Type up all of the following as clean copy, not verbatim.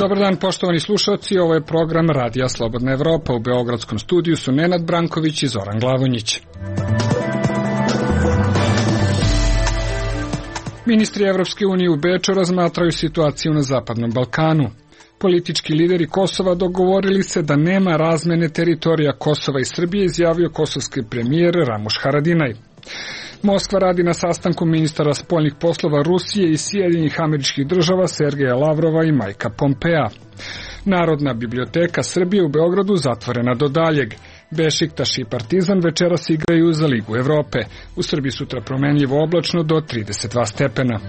Dobar dan, poštovani slušalci, ovo je program Radija Slobodna Evropa. U beogradskom studiju su Nenad Branković i Zoran Glavonjić. Ministri Evropske unije u Beču razmatraju situaciju na Zapadnom Balkanu. Politički lideri Kosova dogovorili se da nema razmene teritorija Kosova i Srbije, izjavio kosovski premijer Ramuš Haradinaj. Moskva radi na sastanku ministara spoljnih poslova Rusije i Sjedinjenih Američkih Država Sergeja Lavrova i Majka Pompea. Narodna biblioteka Srbije u Beogradu zatvorena do daljeg. Bešiktaš i Partizan večeras igraju za Ligu Evrope. U Srbiji sutra promenljivo oblačno do 32 stepena.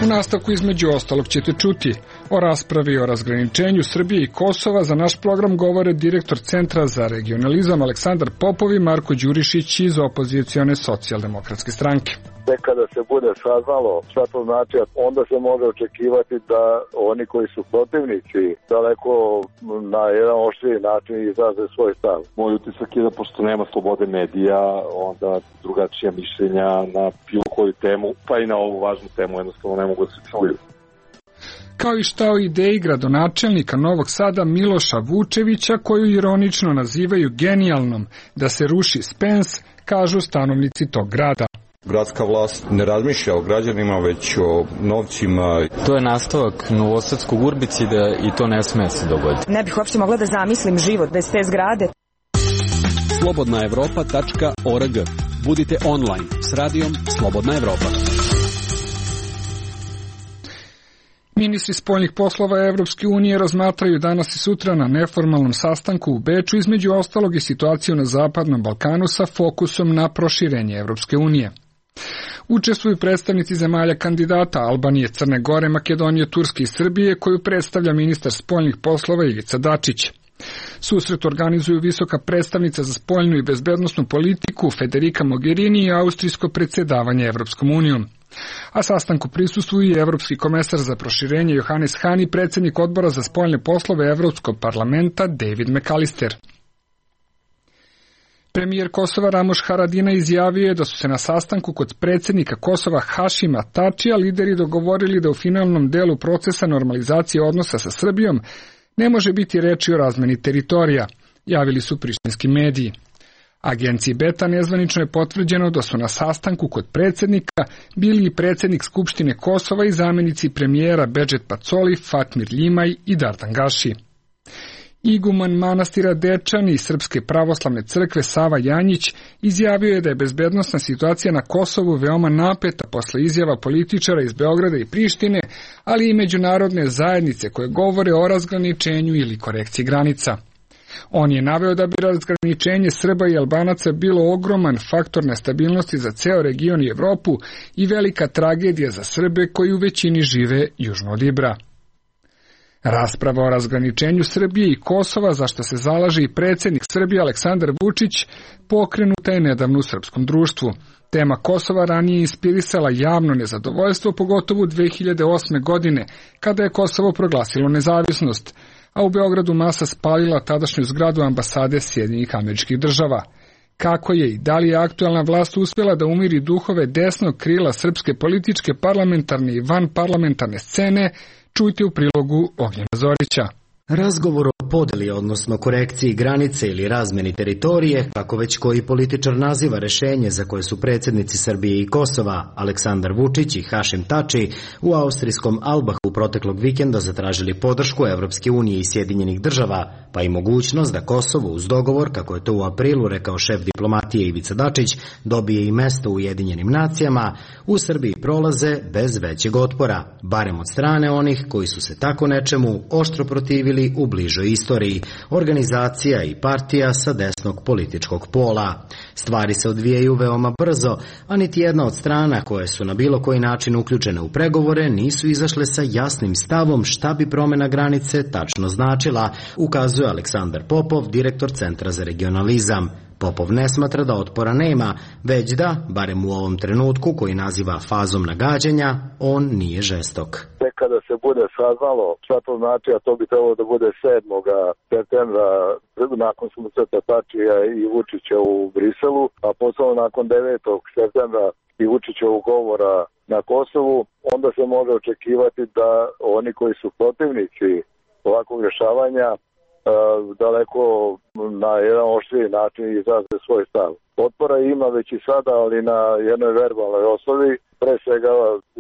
U nastavku između ostalog ćete čuti o raspravi o razgraničenju Srbije i Kosova. Za naš program govore direktor Centra za regionalizam Aleksandar Popov i Marko Đurišić iz opozicione socijaldemokratske stranke. Tek kada se bude saznalo šta to znači, onda se može očekivati da oni koji su protivnici daleko na jedan oštriji način izraze svoj stav. Moj utisak je da pošto nema slobode medija, onda drugačija mišljenja na bilo koju temu, pa i na ovu važnu temu jednostavno ne mogu da se čuju. Kao i šta o ideji gradonačelnika Novog Sada Miloša Vučevića, koju ironično nazivaju genijalnom da se ruši Spens, kažu stanovnici tog grada. Gradska vlast ne razmišlja o građanima, već o novcima. To je nastavak novosadskog urbicida i to ne sme se dogoditi. Ne bih uopšte mogla da zamislim život bez te zgrade. slobodnaevropa.org. Budite online s radijom Slobodna Evropa. Ministri spoljnih poslova Evropske unije razmatraju danas i sutra na neformalnom sastanku u Beču, između ostalog i situaciju na Zapadnom Balkanu sa fokusom na proširenje Evropske unije. Učestvuju predstavnici zemalja kandidata Albanije, Crne Gore, Makedonije, Turske i Srbije, koju predstavlja ministar spoljnih poslova Ivica Dačić. Susret organizuju visoka predstavnica za spoljnu i bezbednosnu politiku Federica Mogherini i austrijsko predsjedavanje Evropskom unijom. A sastanku prisustvuju i Evropski komesar za proširenje Johannes Hahn i predsjednik odbora za spoljne poslove Evropskog parlamenta David McAllister. Premijer Kosova Ramuš Haradinaj izjavio je da su se na sastanku kod predsjednika Kosova Hašima Tačija lideri dogovorili da u finalnom delu procesa normalizacije odnosa sa Srbijom ne može biti reči o razmeni teritorija, javili su prištinski mediji. Agenciji Beta nezvanično je potvrđeno da su na sastanku kod predsjednika bili i predsjednik Skupštine Kosova i zamjenici premijera Bedžet Pacoli, Fatmir Ljimaj i Dardan Gaši. Iguman manastira Dečani i Srpske pravoslavne crkve Sava Janjić izjavio je da je bezbednosna situacija na Kosovu veoma napeta posle izjava političara iz Beograda i Prištine, ali i međunarodne zajednice koje govore o razgraničenju ili korekciji granica. On je naveo da bi razgraničenje Srba i Albanaca bilo ogroman faktor nestabilnosti za ceo region i Evropu i velika tragedija za Srbe koji u većini žive južno od Ibra. Rasprava o razgraničenju Srbije i Kosova, za što se zalaže i predsjednik Srbije Aleksandar Vučić, pokrenuta je nedavno u srpskom društvu. Tema Kosova ranije inspirisala javno nezadovoljstvo, pogotovo 2008. godine, kada je Kosovo proglasilo nezavisnost, a u Beogradu masa spalila tadašnju zgradu ambasade Sjedinjenih Američkih Država. Kako je i da li je aktualna vlast uspjela da umiri duhove desnog krila srpske političke, parlamentarne i vanparlamentarne scene, čujte u prilogu Ognjena Zorića. Razgovor o podeli, odnosno korekciji granice ili razmeni teritorije, kako već koji političar naziva rešenje za koje su predsjednici Srbije i Kosova, Aleksandar Vučić i Hašim Tači, u austrijskom Albahu proteklog vikenda zatražili podršku Evropske unije i Sjedinjenih Država, pa i mogućnost da Kosovo uz dogovor, kako je to u aprilu rekao šef diplomatije Ivica Dačić, dobije i mesto u Ujedinjenim nacijama, u Srbiji prolaze bez većeg otpora, barem od strane onih koji su se tako nečemu oštro protivili u bližoj istoriji, organizacija i partija sa desnog političkog pola. Stvari se odvijaju veoma brzo, a niti jedna od strana koje su na bilo koji način uključene u pregovore nisu izašle sa jasnim stavom šta bi promjena granice tačno značila, ukazuje Aleksandar Popov, direktor Centra za regionalizam. Popov ne smatra da otpora nema, već da, barem u ovom trenutku koji naziva fazom nagađanja, on nije žestok. Tek kada se bude saznalo šta to znači, a to bi trebalo da bude 7. septembra nakon susreta Tačija i Vučića u Briselu, a posebno nakon 9. septembra i Vučićevog govora na Kosovu, onda se može očekivati da oni koji su protivnici ovakvog rješavanja daleko na jedan oštriji način izraze svoj stav. Otpora ima već i sada, ali na jednoj verbalnoj osnovi. Pre svega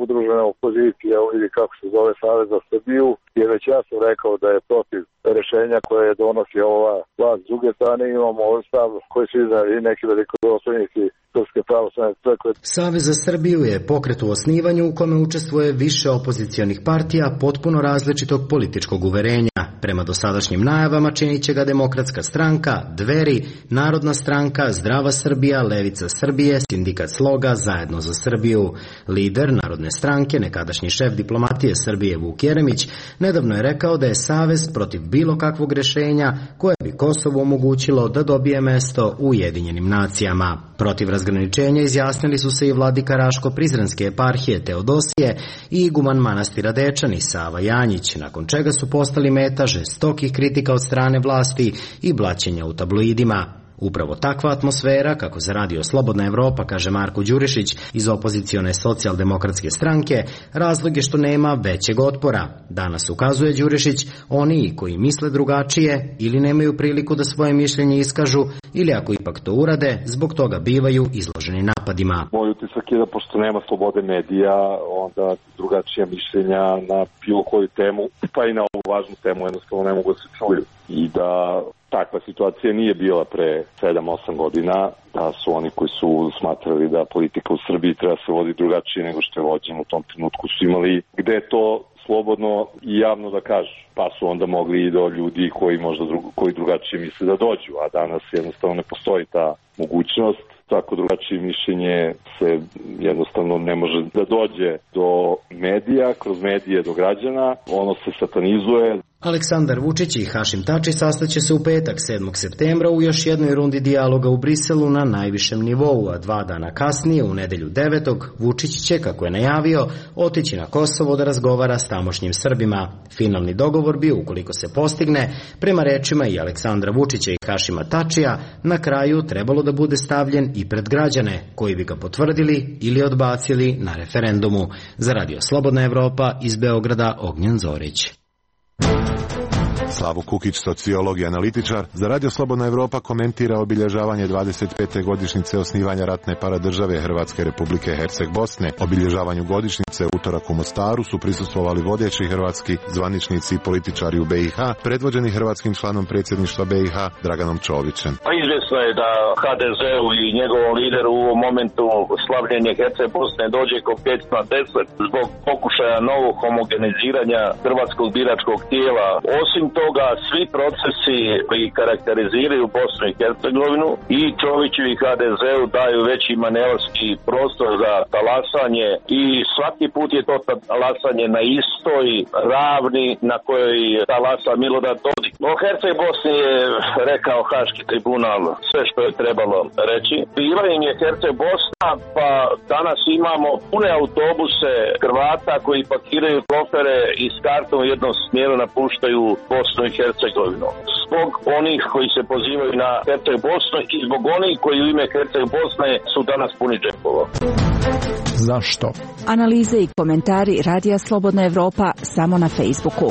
udružena opozicija, ili kako se zove Savez za Srbiju, je već jasno rekao da je protiv rješenja koje donosi ova vlast. S druge strane imamo ovaj stav koji su iznali neki velikodostojnici Srpske pravoslavne crkve. Savez za Srbiju je pokret u osnivanju u kome učestvuje više opozicionih partija potpuno različitog političkog uverenja. Prema dosadašnjim najavama činit će ga Demokratska stranka, Dveri, Narodna stranka, Zdrava Srbija, Levica Srbije, Sindikat Sloga, Zajedno za Srbiju. Lider Narodne stranke, nekadašnji šef diplomatije Srbije Vuk Jeremić, nedavno je rekao da je Savez protiv bilo kakvog rješenja koje bi Kosovo omogućilo da dobije mesto u Ujedinjenim nacijama. Protiv razgraničenja izjasnili su se i vladika Raško-Prizrenske eparhije Teodosije i iguman manastira Dečani Sava Janjić, nakon čega su postali meta žestokih kritika od strane vlasti i blaćenja u tabloidima. Upravo takva atmosfera, kako za Radio Slobodna Evropa kaže Marko Đurišić iz opozicione socijaldemokratske stranke, razlog je što nema većeg otpora. Danas, ukazuje Đurišić, oni koji misle drugačije ili nemaju priliku da svoje mišljenje iskažu, ili ako ipak to urade, zbog toga bivaju izloženi napadima. Moj utisak je da pošto nema slobode medija, onda drugačija mišljenja na bilo koju temu, pa i na ovu važnu temu jednostavno ne mogu da se čuju. I da takva situacija nije bila pre 7-8 godina, da su oni koji su smatrali da politika u Srbiji treba se vodi drugačije nego što je vođeno u tom trenutku su imali gde to slobodno i javno da kažu, pa su onda mogli i do ljudi koji drugačije misle da dođu, a danas jednostavno ne postoji ta mogućnost. Tako drugačije mišljenje se jednostavno ne može da dođe do medija, kroz medije do građana, ono se satanizuje. Aleksandar Vučić i Hašim Tači sastaće se u petak 7. septembra u još jednoj rundi dijaloga u Briselu na najvišem nivou, a 2 dana kasnije, u nedelju 9. Vučić će, kako je najavio, otići na Kosovo da razgovara s tamošnjim Srbima. Finalni dogovor bi, ukoliko se postigne, prema rečima i Aleksandra Vučića i Hašima Tačija, na kraju trebalo da bude stavljen i pred građane, koji bi ga potvrdili ili odbacili na referendumu. Za Radio Slobodna Evropa iz Beograda, Ognjen Zorić. Slavo Kukić, sociolog i analitičar, za Radio Slobodna Evropa komentira obilježavanje 25. godišnjice osnivanja ratne paradržave Hrvatske Republike Herceg-Bosne. Obilježavanju godišnjice utorak u Mostaru su prisustvovali vodeći hrvatski zvaničnici i političari u BiH, predvođeni hrvatskim članom predsjedništva BiH Draganom Čovićem. Izvjesno je da HDZ-u i njegovom lideru u ovom momentu slavljenje Herceg-Bosne dođe ko 5 na 10 zbog pokušaja novog homogeniziranja hrvatskog biračkog tijela. Osim toga, svi procesi koji karakteriziraju Bosnu i Hercegovinu i Čoviću i HDZ-u daju veći manevarski prostor za talasanje i svaki put je to talasanje na istoj ravni na kojoj talasa Milorad Dodik. O Herceg-Bosni je rekao Haški tribunal sve što je trebalo reći. Bila im je Herceg-Bosna, pa danas imamo pune autobuse Hrvata koji pakiraju kofere i s kartom u jednom smjeru napuštaju Bosnu i Hercegovinu. Zbog onih koji se pozivaju na Herceg-Bosnu i zbog onih koji u ime Herceg-Bosne su danas puni džepova. Zašto? Analize i komentari Radija Slobodna Evropa samo na Facebooku.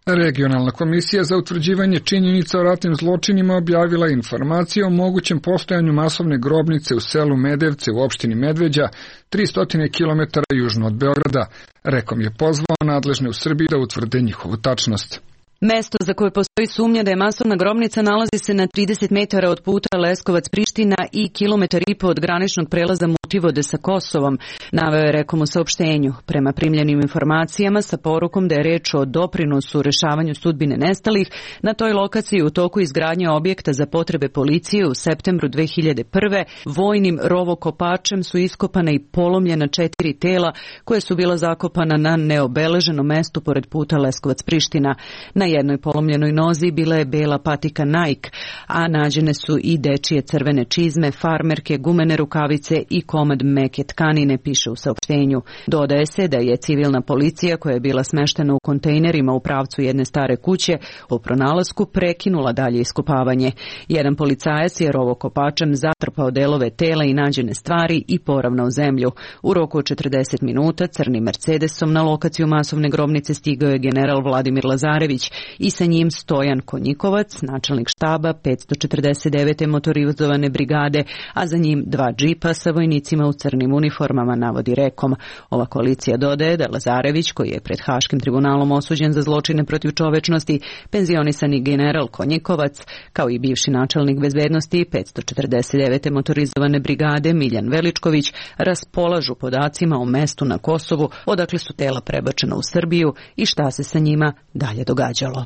Regionalna komisija za utvrđivanje činjenica o ratnim zločinima objavila informaciju o mogućem postojanju masovne grobnice u selu Medevce u opštini Medveđa, 300 km južno od Beograda. Rekom je pozvao nadležne u Srbiji da utvrde njihovu tačnost. Mesto za koje postoji sumnja da je masovna grobnica nalazi se na 30 metara od puta Leskovac-Priština i 1,5 kilometra od graničnog prelaza Mutivode sa Kosovom, naveo je Rekom u saopštenju. Prema primljenim informacijama sa porukom da je reč o doprinosu u rešavanju sudbine nestalih, na toj lokaciji u toku izgradnje objekta za potrebe policije u septembru 2001. vojnim rovokopačem su iskopana i polomljena 4 tela koje su bila zakopana na neobeleženom mestu pored puta Leskovac-Priština. Na Na jednoj polomljenoj nozi bila je bela patika Nike, a nađene su i dečije crvene čizme, farmerke, gumene rukavice i komad meke tkanine, piše u saopštenju. Dodaje se da je civilna policija, koja je bila smeštena u kontejnerima u pravcu jedne stare kuće, u pronalasku prekinula dalje iskopavanje. Jedan policajac je rovokopačem zatrpao delove tela i nađene stvari i poravnao zemlju. U roku od 40 minuta crnim Mercedesom na lokaciju masovne grobnice stigao je general Vladimir Lazarević i sa njim Stojan Konjikovac, načelnik štaba 549. motorizovane brigade, a za njim 2 džipa sa vojnicima u crnim uniformama, navodi Rekom. Ova koalicija dodaje da Lazarević, koji je pred Haškim tribunalom osuđen za zločine protiv čovečnosti, penzionisani general Konjikovac, kao i bivši načelnik bezbednosti 549. motorizovane brigade Miljan Veličković, raspolažu podacima o mestu na Kosovu odakle su tela prebačena u Srbiju i šta se sa njima dalje događalo.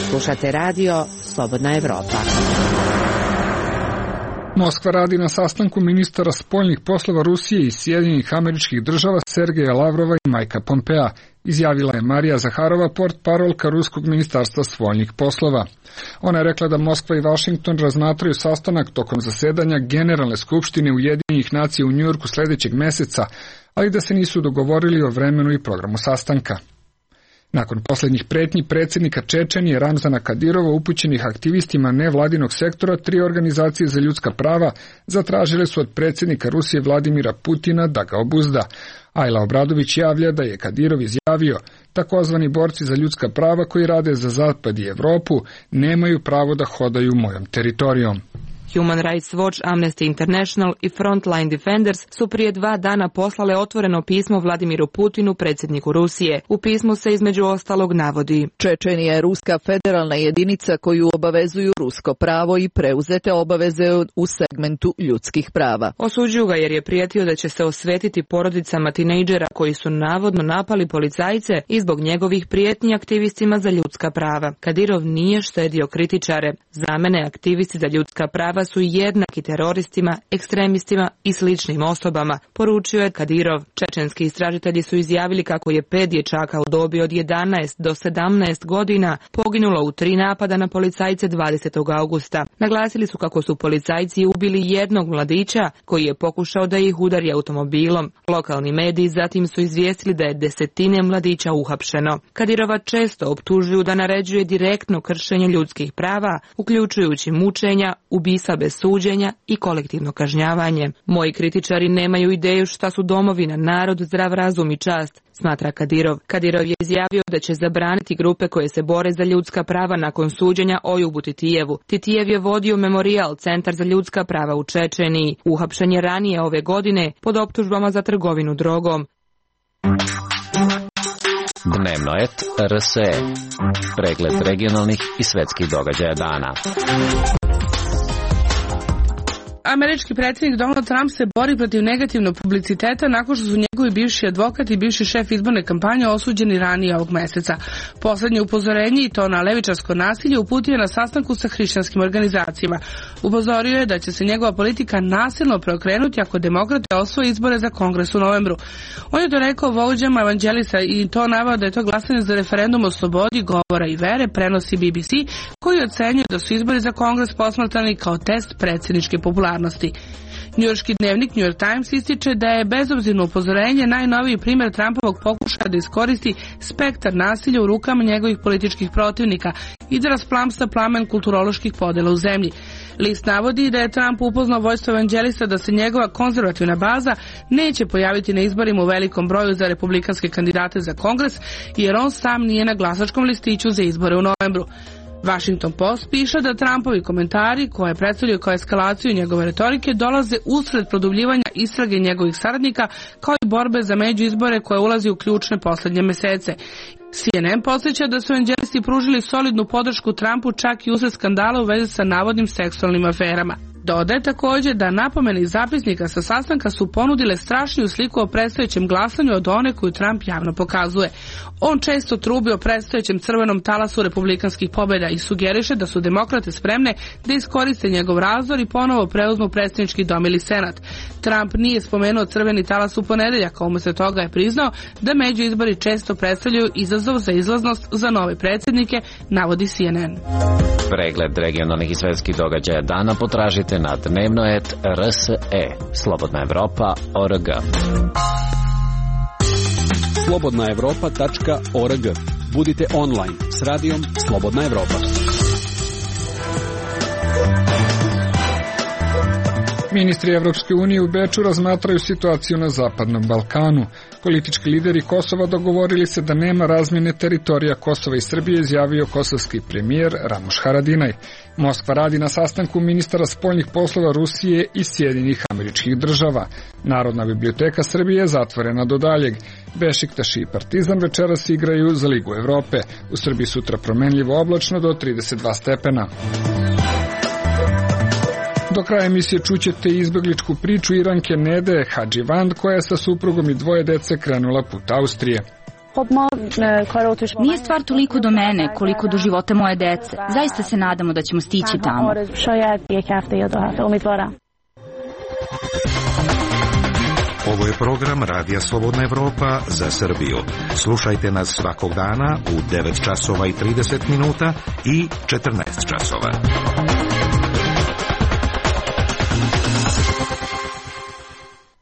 Slušate radio Slobodna Evropa. Moskva radi na sastanku ministara spoljnih poslova Rusije i Sjedinjenih Američkih Država Sergeja Lavrova i Majka Pompea, izjavila je Marija Zaharova, portparolka Ruskog ministarstva spoljnih poslova. Ona je rekla da Moskva i Vašington razmatraju sastanak tokom zasedanja Generalne skupštine Ujedinjenih nacija u Njujorku sledećeg meseca, ali da se nisu dogovorili o vremenu i programu sastanka. Nakon posljednjih pretnji predsjednika Čečenije Ramzana Kadirova upućenih aktivistima nevladinog sektora, 3 organizacije za ljudska prava zatražile su od predsjednika Rusije Vladimira Putina da ga obuzda. Ajla Obradović javlja da je Kadirov izjavio: takozvani borci za ljudska prava koji rade za Zapad i Evropu nemaju pravo da hodaju mojom teritorijom. Human Rights Watch, Amnesty International i Frontline Defenders su prije 2 dana poslale otvoreno pismo Vladimiru Putinu, predsjedniku Rusije. U pismu se između ostalog navodi: Čečenija je ruska federalna jedinica koju obavezuju rusko pravo i preuzete obaveze u segmentu ljudskih prava. Osuđuju ga jer je prijetio da će se osvetiti porodicama tinejdžera koji su navodno napali policajce i zbog njegovih prijetnji aktivistima za ljudska prava. Kadirov nije štedio kritičare. Za mene aktivisti za ljudska prava su jednaki teroristima, ekstremistima i sličnim osobama, poručio je Kadirov. Čečenski istražitelji su izjavili kako je 5 dječaka u dobi od 11 do 17 godina poginulo u 3 napada na policajce 20. augusta. Naglasili su kako su policajci ubili jednog mladića koji je pokušao da ih udari automobilom. Lokalni mediji zatim su izvijestili da je 10 mladića uhapšeno. Kadirova često optužuju da naređuje direktno kršenje ljudskih prava, uključujući mučenja, ubistva bez suđenja i kolektivno kažnjavanje. Moji kritičari nemaju ideju šta su domovina, narod, zdrav razum i čast, smatra Kadirov. Kadirov je izjavio da će zabraniti grupe koje se bore za ljudska prava nakon suđenja Ojubu Titijevu. Titijev je vodio Memorijal, centar za ljudska prava u Čečeniji. Uhapšen je ranije ove godine pod optužbama za trgovinu drogom. Dnevno et RSE. Pregled regionalnih i svetskih događaja dana. Američki predsjednik Donald Trump se bori protiv negativnog publiciteta nakon što su njegovi bivši advokat i bivši šef izborne kampanje osuđeni ranije ovog meseca. Poslednje upozorenje, i to na levičarsko nasilje, uputio je na sastanku sa hrišćanskim organizacijama. Upozorio je da će se njegova politika nasilno preokrenuti ako demokrate osvoje izbore za Kongres u novembru. On je to rekao vođama evanđelisa i to naveo da je to glasanje za referendum o slobodi govora i vere, prenosi BBC, koji ocenjuje da su izbori za Kongres posmatrani kao test predsjedničke popularnosti. Njujorški dnevnik New York Times ističe da je bezobzirno upozorenje najnoviji primjer Trumpovog pokušaja da iskoristi spektar nasilja u rukama njegovih političkih protivnika i da rasplamsa plamen kulturoloških podela u zemlji. List navodi da je Trump upoznao vođstvo evanđelista da se njegova konzervativna baza neće pojaviti na izborima u velikom broju za republikanske kandidate za Kongres, jer on sam nije na glasačkom listiću za izbore u novembru. Washington Post piše da Trumpovi komentari, koje predstavljaju kao eskalaciju njegove retorike, dolaze usred produbljivanja istrage njegovih saradnika, kao i borbe za međuizbore koje ulazi u ključne poslednje mesece. CNN podsjeća da su evanđelisti pružili solidnu podršku Trumpu čak i usred skandala u vezi sa navodnim seksualnim aferama. Dodaje također da napomene iz zapisnika sa sastanka su ponudile strašniju sliku o predstojećem glasanju od one koju Trump javno pokazuje. On često trubi o predstojećem crvenom talasu republikanskih pobjeda i sugeriše da su demokrate spremne da iskoriste njegov razdor i ponovo preuzmu predsjednički dom ili senat. Trump nije spomenuo crveni talas u ponedeljak, a umesto toga je priznao da međuizbori često predstavljaju izazov za izlaznost za nove predsjednike, navodi CNN. Pregled regionalnih i svetskih događaja dana potražite na dnevno.rs.e. slobodnaevropa.org. slobodnaevropa.org. Budite online s radijom Slobodna Evropa. Ministri Evropske unije u Beču razmatraju situaciju na Zapadnom Balkanu. Politički lideri Kosova dogovorili se da nema razmjene teritorija Kosova i Srbije, izjavio kosovski premijer Ramuš Haradinaj. Moskva radi na sastanku ministara spoljnih poslova Rusije i Sjedinjenih Američkih Država. Narodna biblioteka Srbije je zatvorena do daljeg. Bešiktaš i Partizan večeras igraju za Ligu Evrope. U Srbiji sutra promenljivo oblačno do 32 stepena. Do kraja emisije čućete izbegličku priču Iranke Nede Hadživand, koja je sa suprugom i dvoje dece krenula put Austrije. Nije stvar toliko do mene, koliko do života moje dece. Zaista se nadamo da ćemo stići tamo. Ovo je program Radija Slobodna Evropa za Srbiju. Slušajte nas svakog dana u 9 časova i 30 minuta i 14 časova.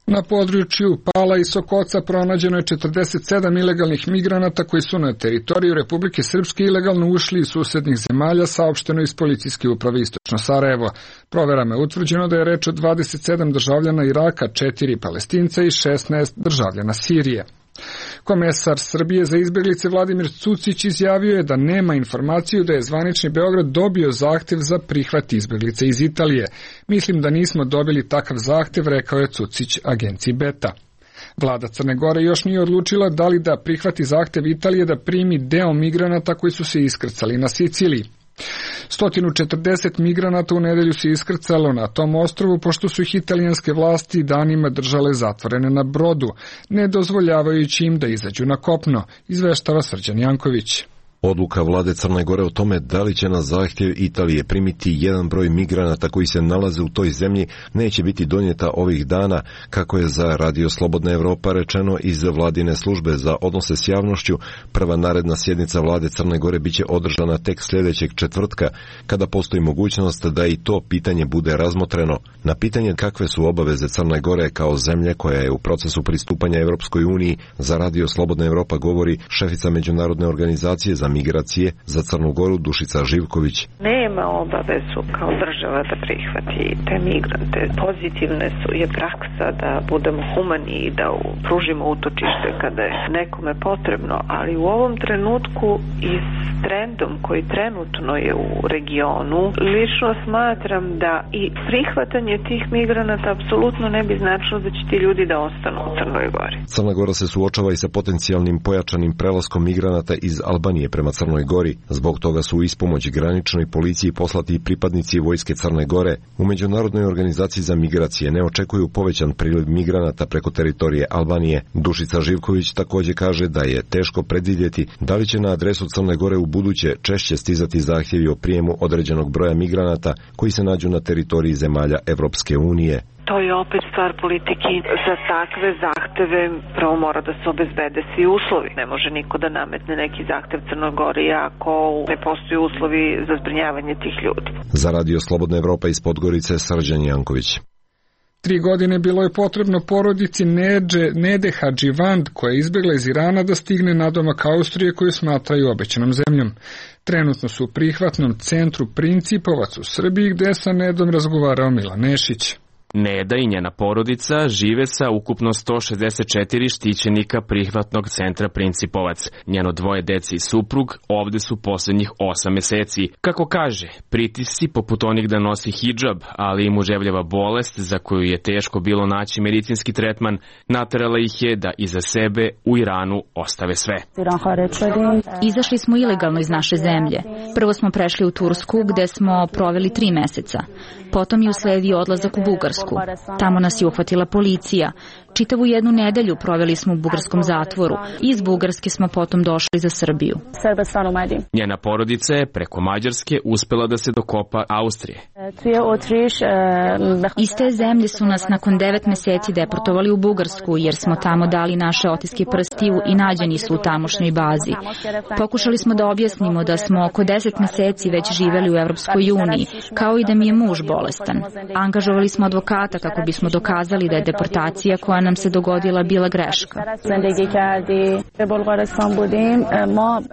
Na području Pala i Sokoca pronađeno je 47 ilegalnih migranata koji su na teritoriju Republike Srpske ilegalno ušli iz susednih zemalja, saopšteno iz policijske uprave Istočno Sarajevo. Proverama je utvrđeno da je reč o 27 državljana Iraka, 4 Palestinca i 16 državljana Sirije. Komesar Srbije za izbjeglice Vladimir Cucić izjavio je da nema informaciju da je zvanični Beograd dobio zahtev za prihvat izbjeglica iz Italije. Mislim da nismo dobili takav zahtev, rekao je Cucić agenciji Beta. Vlada Crne Gore još nije odlučila da li da prihvati zahtev Italije da primi deo migranata koji su se iskrcali na Siciliji. 140 migranata u nedelju se iskrcalo na tom ostrvu, pošto su ih italijanske vlasti danima držale zatvorene na brodu, ne dozvoljavajući im da izađu na kopno, izveštava Srđan Janković. Odluka vlade Crne Gore o tome da li će na zahtjev Italije primiti jedan broj migranata koji se nalaze u toj zemlji neće biti donijeta ovih dana, kako je za Radio Slobodna Evropa rečeno iz vladine službe za odnose s javnošću. Prva naredna sjednica vlade Crne Gore biće održana tek sljedećeg četvrtka, kada postoji mogućnost da i to pitanje bude razmotreno. Na pitanje kakve su obaveze Crne Gore kao zemlje koja je u procesu pristupanja Evropskoj uniji, za Radio Slobodna Evropa govori šefica Međunarodne organizacije za migracije za Crnu Goru Dušica Živković. Nema obavezu kao država da prihvati te migrante. Pozitivne je praksa da budemo humani i da pružimo utočište kada je nekome potrebno, ali u ovom trenutku i s trendom koji trenutno je u regionu, lično smatram da i prihvatanje tih migranata apsolutno ne bi značilo da će ti ljudi da ostanu u Crnoj Gori. Crna Gora se suočava i sa potencijalnim pojačanim prelaskom migranata iz Albanije prema Crnoj Gori. Zbog toga su u ispomoć graničnoj policiji poslati i pripadnici vojske Crne Gore. U Međunarodnoj organizaciji za migracije ne očekuju povećan priliv migranata preko teritorije Albanije. Dušica Živković također kaže da je teško predvidjeti da li će na adresu Crne Gore u buduće češće stizati zahtjevi o prijemu određenog broja migranata koji se nađu na teritoriji zemalja Evropske unije. To je opet stvar politike. Za takve zahteve prvo mora da se obezbede svi uslovi. Ne može niko da nametne neki zahtev Crnoj Gori ako ne postoji uslovi za zbrinjavanje tih ljudi. Za Radio Slobodna Evropa iz Podgorice Srđan Janković. 3 godine bilo je potrebno porodici Nede Hadživand, koja je izbjegla iz Irana, da stigne nadomak Austrije koju smatraju obećanom zemljom. Trenutno su u prihvatnom centru Principovac u Srbiji, gde sa Nedom razgovarao Milan Nešić. Neda i njena porodica žive sa ukupno 164 štićenika prihvatnog centra Principovac. Njeno dvoje dece i suprug ovde su posljednjih 8 meseci. Kako kaže, pritisci poput onih da nosi hidžab, ali i muževljava bolest za koju je teško bilo naći medicinski tretman, naterala ih je da iza sebe u Iranu ostave sve. Izašli smo ilegalno iz naše zemlje. Prvo smo prešli u Tursku, gde smo proveli 3 meseca. Potom je usledio odlazak u Bugarsku. Bugarsku. Tamo nas je uhvatila policija. Čitavu jednu nedelju proveli smo u bugarskom zatvoru. Iz Bugarske smo potom došli za Srbiju. Njena porodica je preko Mađarske uspela da se dokopa Austrije. Iz te zemlje su nas nakon 9 meseci deportovali u Bugarsku, jer smo tamo dali naše otiske prstiju i nađeni su u tamošnjoj bazi. Pokušali smo da objasnimo da smo oko 10 meseci već živeli u Evropskoj uniji, kao i da mi je muž bolestan. Angažovali smo advokata kako bismo dokazali da je deportacija koja nam se dogodila bila greška.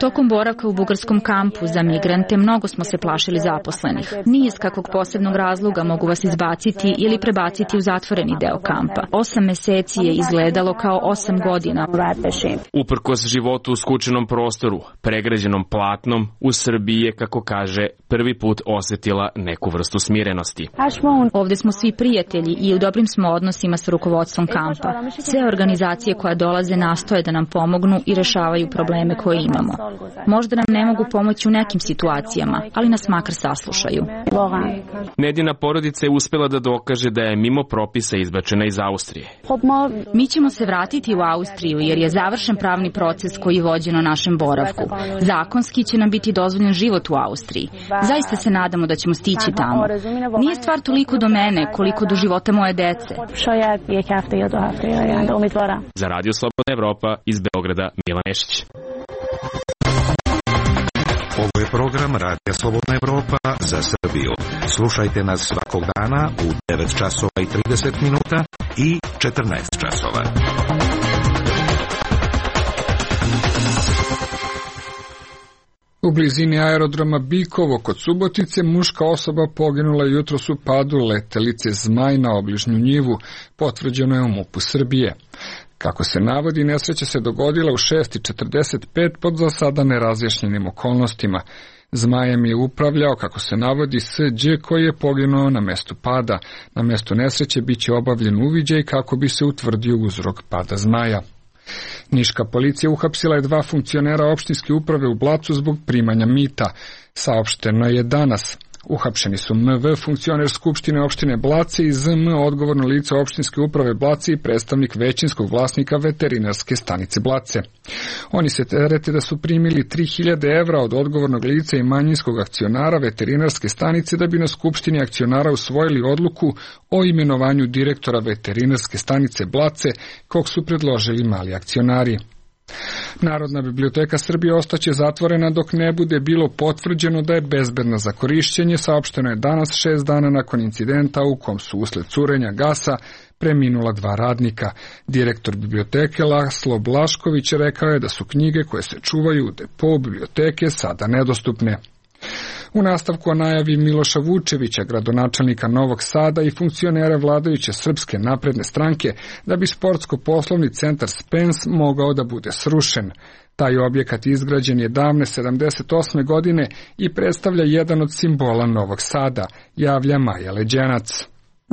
Tokom boravka u bugarskom kampu za migrante mnogo smo se plašili zaposlenih. Ni iz kakvog posebnog razloga mogu vas izbaciti ili prebaciti u zatvoreni deo kampa. 8 meseci je izgledalo kao 8 godina. Uprkos životu u skučenom prostoru, pregrađenom platnom, u Srbiji je, kako kaže, prvi put osetila neku vrstu smirenosti. Ovde smo svi prijatelji i u dobrim smo odnosima sa rukovodstvom kampa. Sve organizacije koje dolaze nastoje da nam pomognu i rešavaju probleme koje imamo. Možda nam ne mogu pomoći u nekim situacijama, ali nas makar saslušaju. Nedina porodica je uspela da dokaže da je mimo propisa izbačena iz Austrije. Mi ćemo se vratiti u Austriju jer je završen pravni proces koji je vođen o našem boravku. Zakonski će nam biti dozvoljen život u Austriji. Zaista se nadamo da ćemo stići tamo. Nije stvar toliko do mene koliko do života moje dece. Za Radio Slobodna Evropa iz Beograda, Milan Nešić. Ovo je program Radija Slobodna Evropa za Srbiju. Slušajte nas svakog dana u 9 časova i 30 minuta i 14 časova. U blizini aerodroma Bikovo kod Subotice muška osoba poginula jutros u padu letelice Zmaj na obližnju njivu, potvrđeno je u MUP-u Srbije. Kako se navodi, nesreća se dogodila u 6:45 pod za sada nerazjašnjenim okolnostima. Zmajem je upravljao, kako se navodi, S.Đ. koji je poginuo na mestu pada. Na mestu nesreće biće obavljen uviđaj kako bi se utvrdio uzrok pada Zmaja. Niška policija uhapsila je 2 funkcionera opštinske uprave u Blacu zbog primanja mita. Saopšteno je danas. Uhapšeni su MV, funkcioner Skupštine opštine Blace, i ZM, odgovorno lice opštinske uprave Blace i predstavnik većinskog vlasnika veterinarske stanice Blace. Oni se terete da su primili 3000 evra od odgovornog lica i manjinskog akcionara veterinarske stanice da bi na Skupštini akcionara usvojili odluku o imenovanju direktora veterinarske stanice Blace, kog su predložili mali akcionari. Narodna biblioteka Srbije ostaće zatvorena dok ne bude bilo potvrđeno da je bezbedna za korišćenje, saopšteno je danas 6 dana nakon incidenta u kom su usled curenja gasa preminula 2 radnika. Direktor biblioteke Laslo Blašković rekao je da su knjige koje se čuvaju u depo biblioteke sada nedostupne. U nastavku o najavi Miloša Vučevića, gradonačelnika Novog Sada i funkcionera vladajuće Srpske napredne stranke, da bi sportsko-poslovni centar Spens mogao da bude srušen. Taj objekat izgrađen je davne 78. godine i predstavlja jedan od simbola Novog Sada, javlja Maja Leđenac.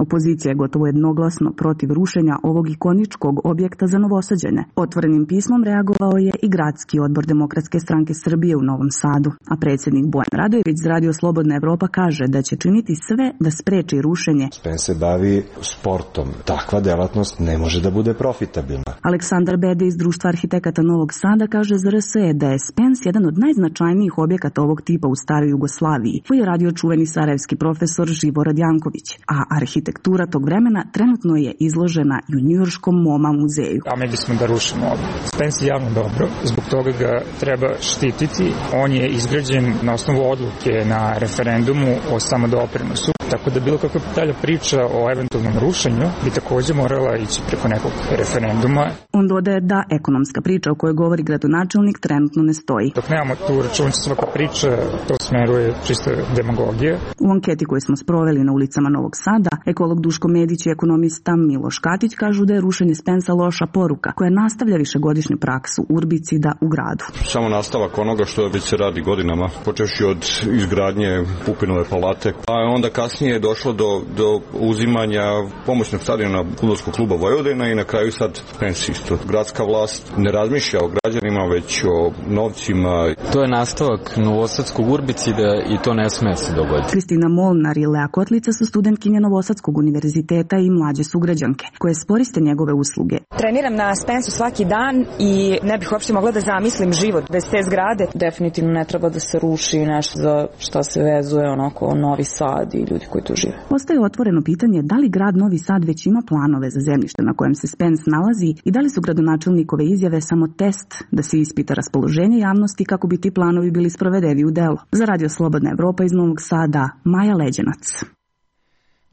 Opozicija je gotovo jednoglasno protiv rušenja ovog ikoničkog objekta za Novosađane. Otvorenim pismom reagovao je i gradski odbor Demokratske stranke Srbije u Novom Sadu, a predsjednik Bojan Radojević za Radio Slobodna Evropa kaže da će činiti sve da spreči rušenje. Spens se bavi sportom. Takva delatnost ne može da bude profitabilna. Aleksandar Bede iz Društva arhitekata Novog Sada kaže za RSE da je Spens jedan od najznačajnijih objekata ovog tipa u staroj Jugoslaviji, koji je radio čuveni sarajevski profesor Živorad Janković, a arhitektura tog vremena trenutno je izložena i u njujorškom MoMA muzeju. A mi bismo da rušimo ovo. Spens je javno dobro, zbog toga ga treba štititi. On je izgrađen na osnovu odluke na referendumu o samodoprinosu, tako da bilo kakva dalja priča o eventualnom rušenju bi također morala ići preko nekog referenduma. On dodaje da ekonomska priča o kojoj govori gradonačelnik trenutno ne stoji. Dok nemamo tu računicu, svaka priča to smeruje čista demagogija. U anketi koju smo sproveli na ulicama Novog Sada, ekolog Duško Medić i ekonomista Miloš Katić kažu da je rušenje Spensa loša poruka koja nastavlja višegodišnju praksu urbicida u gradu. Samo nastavak onoga što već se radi godinama, počevši od izgradnje Pupinove palate, a onda kasnije kasnije je došlo do uzimanja pomoćnog stadiona fudbalskog kluba Vojvodina i na kraju sad Spence isto. Gradska vlast ne razmišlja o građanima, već o novcima. To je nastavak novosadskog urbicida i to ne sme se dogoditi. Kristina Molnar i Lea Kotlica su studentkinje Novosadskog univerziteta i mlađe sugrađanke koje sporiste njegove usluge. Treniram na Spensu svaki dan i ne bih uopšte mogla da zamislim život bez te zgrade. Definitivno ne treba da se ruši nešto za što se vezuje onako Novi Sad i ljudi koji tu žive. Ostaje otvoreno pitanje da li grad Novi Sad već ima planove za zemljište na kojem se Spence nalazi i da li su gradonačelnikove izjave samo test da se ispita raspoloženje javnosti kako bi ti planovi bili sprovedeni u delo. Za Radio Slobodna Evropa iz Novog Sada, Maja Leđenac.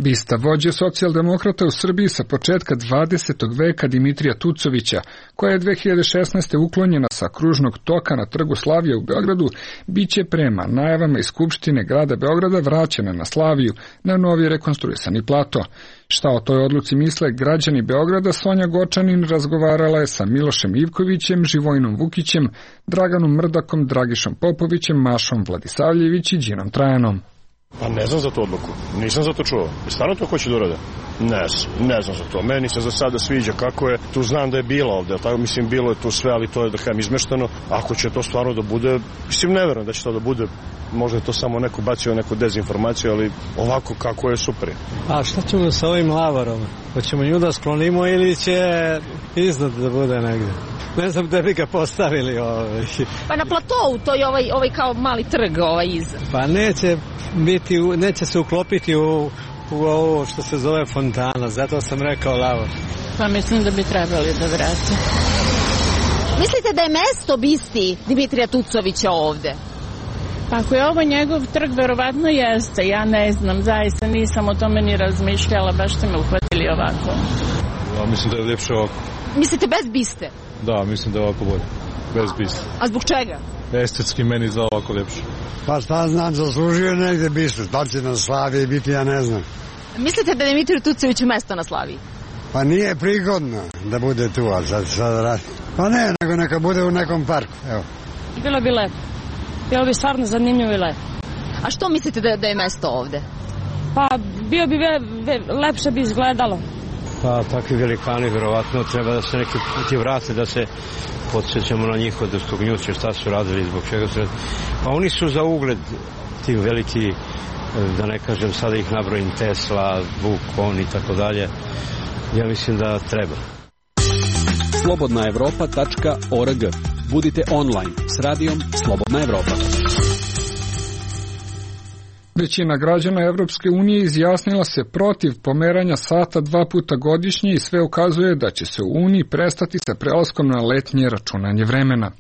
Bista vođe socijaldemokrata u Srbiji sa početka 20. veka Dimitrija Tucovića, koja je 2016. uklonjena sa kružnog toka na Trgu Slavija u Beogradu, biće prema najavama iz Skupštine grada Beograda vraćena na Slaviju na novi rekonstruisani plato. Šta o toj odluci misle građani Beograda, Sonja Gočanin razgovarala je sa Milošem Ivkovićem, Živojinom Vukićem, Draganom Mrdakom, Dragišom Popovićem, Mašom Vladisavljević i Đinom Trajanom. Pa ne znam za tu odluku, nisam za to čuo. Stvarno to hoće da urade? Ne znam za to. Meni se za sada sviđa kako je, tu znam da je bilo ovde, tako mislim bilo je tu sve, ali to je da kažem izmešteno. Ako će to stvarno da bude, mislim ne verujem da će to da bude, možda je to samo neko bacio neku dezinformaciju, ali ovako kako je super. A šta ćemo sa ovim lavarom? Hoćemo nju da sklonimo ili će iznad da bude negde? Ne znam da bi ga postavili. Pa na platovu, to je ovaj kao mali trg iza. Pa neće se uklopiti u ovo što se zove fontana, zato sam rekao lavor. Pa mislim da bi trebali da vrati. Mislite da je mesto bisti Dimitrija Tucovića ovde? Pa ako je ovo njegov trg, verovatno jeste. Ja ne znam, zaista nisam o tome ni razmišljala, baš ste me uhvatili ovako. Ja mislim da je ljepše ovako. Mislite bez biste? Da, mislim da je ovako bolje. Bez biste. A zbog čega? Estetski meni za ovako ljepše. Pa šta znam, zaslužio negde bistu. Da li će na Slaviji biti, ja ne znam. Mislite da je Dimitriju Tucoviću mesto na Slaviji? Pa nije prigodno da bude tu, a sad radi. Pa ne, nego neka bude u nekom parku, evo. Bilo bi lepo. Bilo bi stvarno zanimljivo i lepo. A što mislite da je mesto ovde? Pa bio bi lepše bi izgledalo. Pa takvi velikani verovatno treba da se neki puti vrate, da se podsjećamo na njih od Stognjuće, šta su radili, zbog čega su radili. Pa oni su za ugled ti veliki, da ne kažem sada ih nabrojim, Tesla, Vuk, i tako dalje. Ja mislim da treba. slobodnaevropa.org. Budite online s radijom Slobodna Evropa. Većina građana Evropske unije izjasnila se protiv pomeranja sata 2 puta godišnje i sve ukazuje da će se u Uniji prestati sa prelaskom na letnje računanje vremena.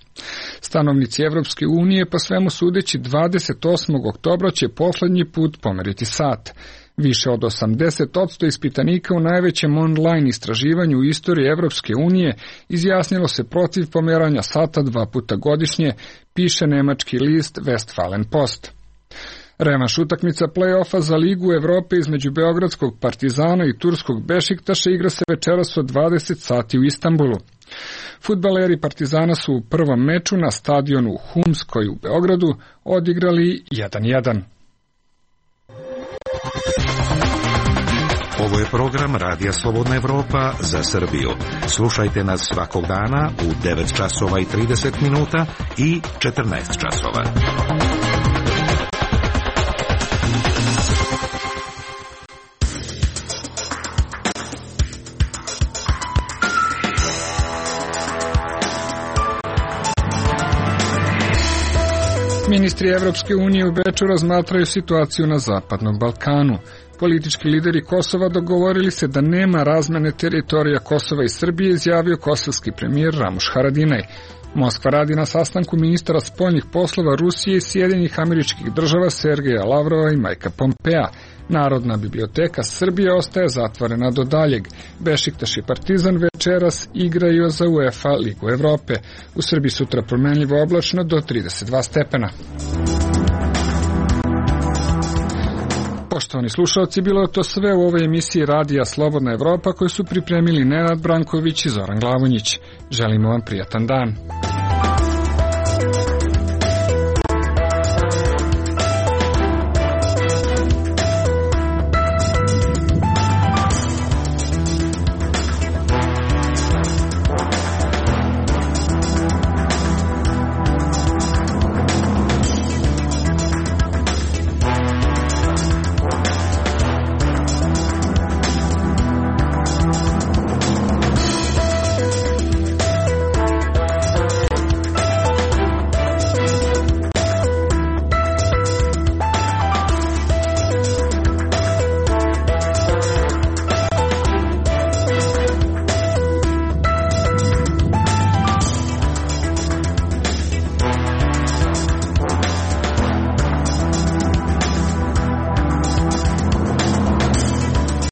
Stanovnici Evropske unije, po svemu sudeći, 28. oktobra će poslednji put pomeriti sat. Više od 80% ispitanika u najvećem online istraživanju u istoriji Evropske unije izjasnilo se protiv pomeranja sata 2 puta godišnje, piše nemački list Westfalen Post. Revanš utakmica play-offa za Ligu Evrope između beogradskog Partizana i turskog Bešiktaša igra se večeras od 20 sati u Istanbulu. Fudbaleri Partizana su u prvom meču na stadionu Humskoj u Beogradu odigrali 1:1. Ovo je program Radija Slobodna Evropa za Srbiju. Slušajte nas svakog dana u 9 časova i 30 minuta i 14 časova. Ministri Evropske unije u Beču razmatraju situaciju na Zapadnom Balkanu. Politički lideri Kosova dogovorili se da nema razmene teritorija Kosova i Srbije, izjavio kosovski premijer Ramuš Haradinaj. Moskva radi na sastanku ministara spoljnih poslova Rusije i Sjedinjenih Američkih Država Sergeja Lavrova i Majka Pompea. Narodna biblioteka Srbije ostaje zatvorena do daljeg. Bešiktaš i Partizan večeras igraju za UEFA Ligu Evrope. U Srbiji sutra promenljivo oblačno do 32 stepena. Poštovani slušalci, bilo je to sve u ovoj emisiji Radija Slobodna Evropa koju su pripremili Nenad Branković i Zoran Glavonjić. Želimo vam prijatan dan.